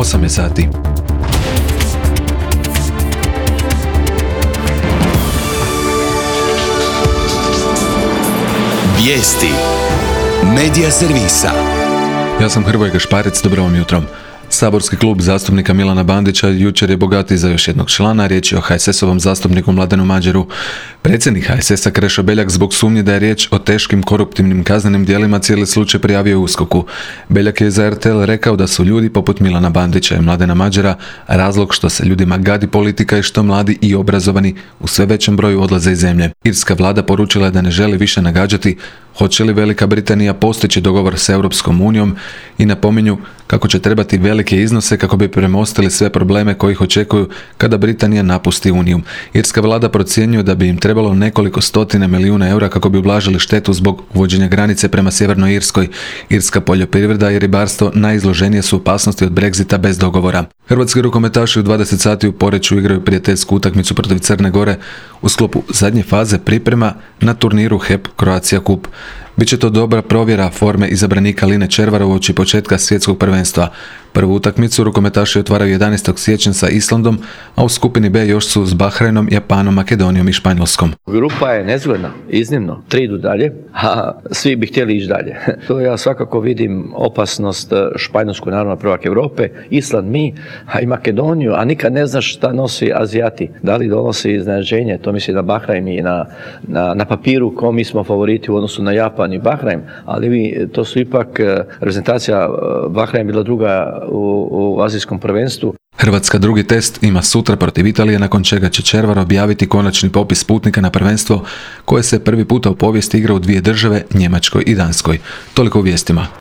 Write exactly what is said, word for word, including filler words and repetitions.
osam je sati. Vijesti Medija servisa. Ja sam Hrvoje Gašparec, dobro vam jutro. Saborski klub zastupnika Milana Bandića jučer je bogatiji za još jednog člana, riječ je o ha es es ovom zastupniku Mladenu Mađeru. Predsjednik ha es esa Krešo Beljak zbog sumnje da je riječ o teškim koruptivnim kaznenim djelima cijeli slučaj prijavio u uskoku. Beljak je za er te el rekao da su ljudi poput Milana Bandića i Mladena Mađera razlog što se ljudima gadi politika i što mladi i obrazovani u sve većem broju odlaze iz zemlje. Irska vlada poručila je da ne želi više nagađati hoće li Velika Britanija postići dogovor s Europskom unijom i napominju kako će trebati velike iznose kako bi premostili sve probleme koji ih očekuju kada Britanija napusti Uniju. Irska vlada procjenjuje da bi im trebalo nekoliko stotine milijuna eura kako bi ublažili štetu zbog uvođenja granice prema Sjevernoj Irskoj. Irska poljoprivreda i ribarstvo najizloženije su opasnosti od Brexita bez dogovora. Hrvatski rukometaši u dvadeset sati u Poreču igraju prijateljsku utakmicu protiv Crne Gore u sklopu zadnje faze priprema na turniru he e pe Croatia Cup. Biće to dobra provjera forme izabranika Line Červara uoči početka svjetskog prvenstva. Prvu utakmicu rukometaši otvaraju jedanaestog siječnja sa Islandom, a u skupini B još su s Bahrajnom, Japanom, Makedonijom i Španjolskom. Grupa je nezgodna, iznimno. Tri idu dalje, a svi bi htjeli ići dalje. To ja svakako vidim opasnost Španjolsku, naravno prvak Europe, Island mi, a i Makedoniju, a nikad ne znaš šta nosi Azijati. Da li donosi iznenađenje, to misli na Bahrajn i na, na, na papiru ko mi smo favoriti u odnosu na Japan i Bahrajn, ali vi, to su ipak reprezentacija Bahrajn bila druga u, u azijskom prvenstvu. Hrvatska drugi test ima sutra protiv Italije, nakon čega će Červar objaviti konačni popis putnika na prvenstvo koje se prvi puta u povijesti igra u dvije države, Njemačkoj i Danskoj. Toliko u vijestima.